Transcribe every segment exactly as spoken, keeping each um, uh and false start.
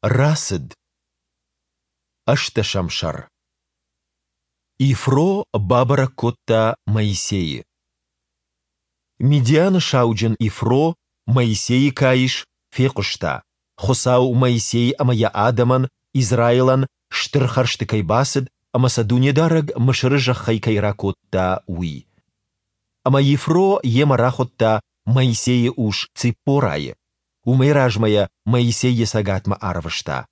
Рацыд. Ӕстдӕсӕм сӕр. Ифро бабӕрӕг кодта Моисейы. Мидианы сауджын Ифро, Моисейы каис, фехъуыста, Хуыцау Моисей ӕмӕ йӕ адӕмӕн, Израилӕн, стыр хӕрзты кӕй бацыд ӕмӕ сӕ Дунедарӕг Мысыры зӕххӕй кӕй ракодта, уый. Ӕмӕ Ифро йемӕ рахуыдта Моисейы ус Циппорайы. Уымӕй размӕ йӕ Моисей йӕ цӕгатмӕ арвыста.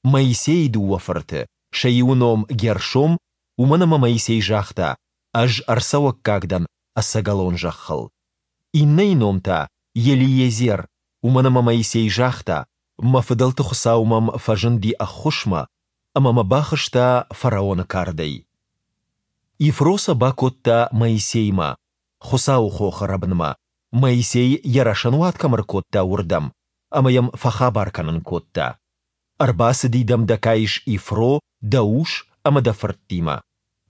Моисейы дыууӕ фырты, сӕ иуы ном Гершом, уымӕн ӕмӕ Моисей загъта: «Ӕз ӕрцӕуӕггаг дӕн ӕцӕгӕлон зӕххыл». Иннӕйы ном та Елиезер, уымӕн ӕмӕ Моисей загъта: «Мӕ фыдӕлты Хуыцау мӕм фӕзынди ӕххуысмӕ ӕмӕ мӕ бахызта фараоны кардӕй». Ифро сӕ бакодта Моисеймӕ, Хуыцауы хохы рӕбынмӕ, Моисей йӕ рӕсӕнуат кӕм ӕркодта, уырдӕм, ӕмӕ йӕм фӕхабар кӕнын кодта: Ӕрбацыди дӕм дӕ каис Ифро дӕ ус ӕмӕ дӕ фырттимӕ.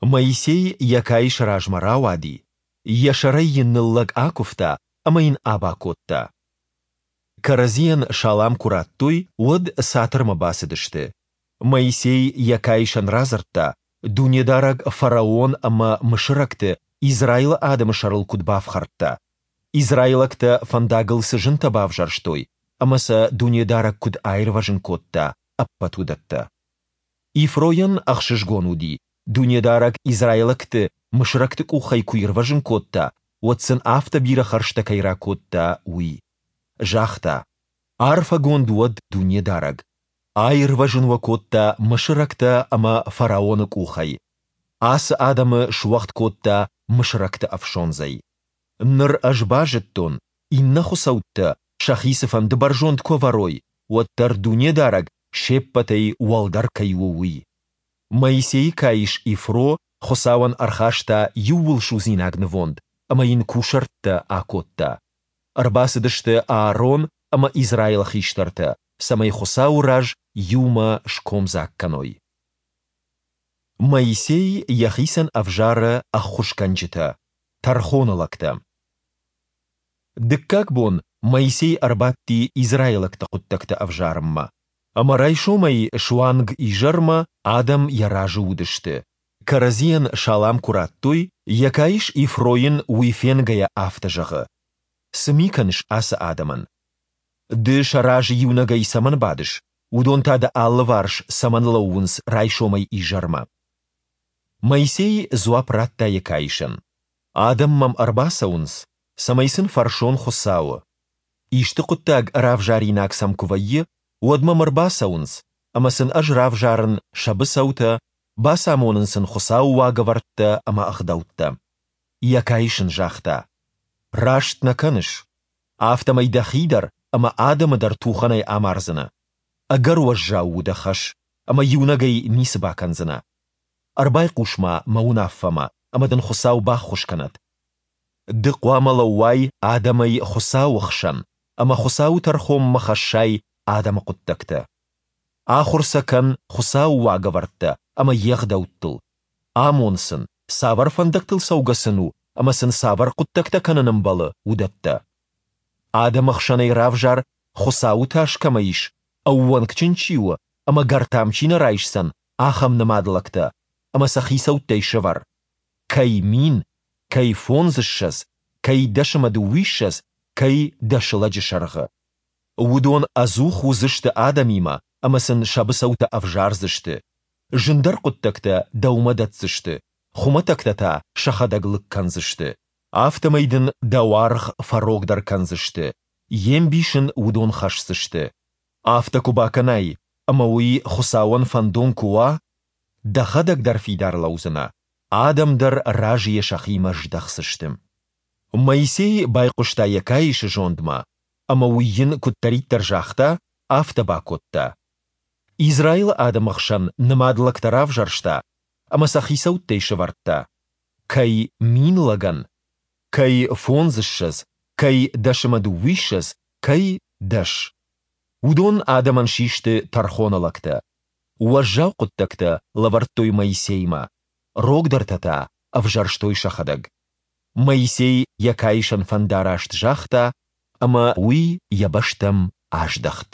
Моисей йӕ каисы размӕ рауади, йӕ сӕрӕй йын ныллӕг акуывта ӕмӕ йын аба кодта. Кӕрӕдзийӕн салам куы радтой, уӕд цатырмӕ бацыдысты. Моисей йӕ каисӕн радзырдта, Дунедарӕг фараон ӕмӕ мысырӕгты Израилы адӕмы сӕрыл куыд бафхӕрдта, израилӕгтӕ фӕндагыл цы зынтӕ бавзӕрстой ӕмӕ сӕ Дунедарӕг куыд аирвӕзын кодта, ӕппӕт уыдӕттӕ. Ифройӕн ӕхсызгон уыди, Дунедарӕг израилӕгты мысырӕгты къухӕй куы ирвӕзын кодта, уӕд сын афтӕ бирӕ хӕрзтӕ кӕй ракодта, уый. Загъта: Арфӕгонд уӕд Дунедарӕг! Аирвӕзын уӕ кодта мысырӕгтӕ ӕмӕ фараоны къухӕй. Ацы адӕмы суӕгъд кодта мысырӕгты ӕфсондзӕй. Ныр ӕз базыдтон, иннӕ хуыцӕуттӕ сӕхи цыфӕнды бӕрзонд куы ӕвӕрой, уӕддӕр Дунедарӕг се ппӕтӕй уӕлдӕр кӕй у, уый. Моисейы каис Ифро Хуыцауӕн ӕрхаста иууылсудзинаг нывонд ӕмӕ йын кусӕрттӕ акодта. Ӕрбацыдысты Аарон ӕмӕ Израилы хистӕртӕ, цӕмӕй Хуыцауы раз иумӕ скомдзаг кӕной. Моисей йӕхицӕн ӕвзары ӕххуысгӕнджытӕ, тӕрхоны лӕгтӕ. Дыккаг бон Моисей ӕрбадти израилӕгты хъуыддӕгтӕ ӕвзарынмӕ. Ӕмӕ райсомӕй суанг изӕрмӕ адӕм йӕ разы уыдысты. Кӕрӕдзийӕн салам куы радтой, йӕ каис Ифро йын уый фенгӕйӕ афтӕ зӕгъы: Цы ми кӕныс ацы адӕмӕн? Ды сӕ разы иунӕгӕй цӕмӕн бадыс, уыдон та дӕ алыварс цӕмӕн лӕууынц райсомӕй изӕрмӕ? Моисей дзуапп радта йӕ каисӕн: Адӕм мӕм ӕрбацӕуынц, цӕмӕй сын фӕрсон Хуыцауы. Исты хъуыддаг равзаринаг сӕм куы вӕййы, уӕд мӕм ӕрбацӕуынц, ӕмӕ сын ӕз равзарын сӕ быцӕутӕ, бацамонын сын Хуыцауы уагӕвӕрдтӕ ӕмӕ ӕгъдӕуттӕ. Йӕ каис ын загъта: Раст нӕ кӕныс. Афтӕмӕй дӕхи дӕр ӕмӕ адӕмы дӕр тухӕнӕй амардзынӕ. Ӕгӕр уӕззау у дӕ хӕс, ӕмӕ иунӕгӕй ницы бакӕндзынӕ. Ӕрбайхъус-ма мӕ уынаффӕмӕ, ӕмӕ дын Хуыцау баххуыс кӕнӕд. Ды хъуамӕ лӕууай адӕмӕй Хуыцауы хсӕн ӕмӕ Хуыцауы тӕрхонмӕ хӕссай адӕмы хъуыддӕгтӕ. Ахуыр сӕ кӕн Хуыцауы уагӕвӕрдтӕ ӕмӕ йе гъдӕуттыл. Амон сын, цавӕр фӕндӕгтыл цӕугӕ сын у ӕмӕ сын цавӕр хъуыддӕгтӕ кӕнын ӕмбӕлы, уыдӕттӕ. Адӕмы хсӕнӕй равзар, Хуыцауы тас кӕмӕ ис, ӕууӕнкджын чи у ӕмӕ гӕртам чи нӕ райсдзӕн, ахӕм нымад лӕгтӕ, ӕмӕ сӕ хицӕуттӕй сӕвӕр. Кӕй мин, кӕй фондзыссӕдз, кӕй дӕс ӕмӕ дыууиссӕдз, кӕй дӕс лӕджы сӕргъы. Уыдон ӕдзух уыдзысты адӕмимӕ ӕмӕ сын сӕ быцӕутӕ ӕвзардзысты. Зындӕр хъуыддӕгтӕ дӕумӕ дӕтдзысты, хуымӕтӕгтӕ та сӕхӕдӕг лыг кӕндзысты. Афтӕмӕй дын дӕ уаргъ фӕрогдӕр кӕндзысты, йе мбис ын уыдон хӕсдзысты. Афтӕ куы бакӕнай, ӕмӕ уый Хуыцауӕн фӕндон куы уа, дӕхӕдӕг дӕр фидар лӕудзынӕ, адӕм дӕр разыйӕ сӕхимӕ здӕхдзысты. Моисей байхъуыста йӕ каисы зондмӕ, ӕмӕ уый йын куыддӕриддӕр загъта, афтӕ бакодта. Израилы адӕмы хсӕн нымад лӕгтӕ равзӕрста ӕмӕ сӕ хицӕуттӕй сӕвӕрдта. Кӕй мин лӕгӕн, кӕй фондзыссӕдз, кӕй дӕс ӕмӕ дыууиссӕдз, кӕй дӕс. Уыдон адӕмӕн систы тӕрхоны лӕгтӕ. Уӕззау хъуыддӕгтӕ лӕвӕрдтой Моисеймӕ, рогдӕртӕ та ӕвзӕрстой сӕхӕдӕг. Моисей йӕ каисӕн фӕндараст загъта, ӕмӕ уый йӕ бӕстӕм аздӕхт.